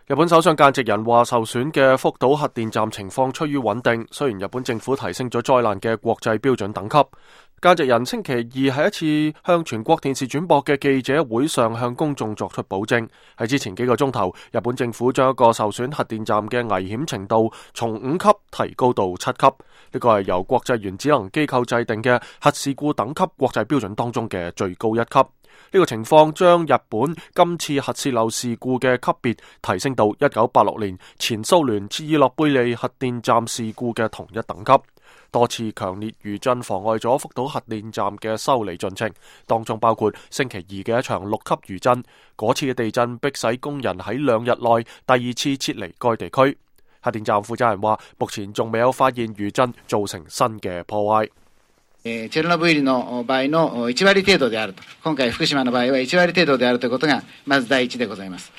日本首相間直人話，受損嘅福島核電站情況趨於穩定，雖然日本政府提升咗災難嘅國際標準等級。間直人星期二喺一次向全國電視轉播嘅記者會上向公眾作出保證，喺之前幾個鐘頭，日本政府將一個受損核電站嘅危險程度從5級提高到7級，呢個係由國際原子能機構制定嘅核事故等級國際標準當中嘅最高一級。呢個情況將日本今次核洩漏事故嘅級別提升到1986年前蘇聯切爾諾貝利核電站事故嘅同一等級。多次強烈餘震妨礙咗福島核電站嘅修理進程，當中包括星期二嘅一場6級餘震。嗰次嘅地震迫使工人喺2日內第二次撤離該地區。核電站負責人話，目前仲未有發現餘震造成新嘅破壞。チェルノブイリの場合の1割程度であると。今回福島の場合は1割程度であるということがまず第一でございます。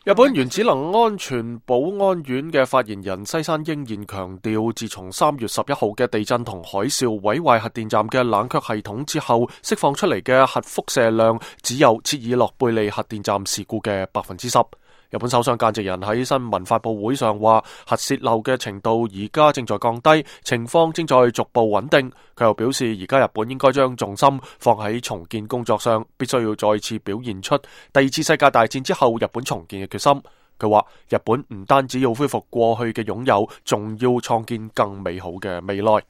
日本原子能安全保安院嘅發言人西山英彥強調，自從3月11號嘅地震同海嘯毀壞核電站嘅冷卻系統之後，釋放出嚟嘅核輻射量只有切爾諾貝利核電站事故嘅10%。日本首相間直人喺新聞發佈會上話，核洩漏嘅程度而家正在降低，情況正在逐步穩定。佢又表示，而家日本應該將重心放喺重建工作上，必須要再次表現出第二次世界大戰之後日本重建嘅決心。佢話，日本唔單止要恢復過去嘅擁有，仲要創建更美好嘅未來。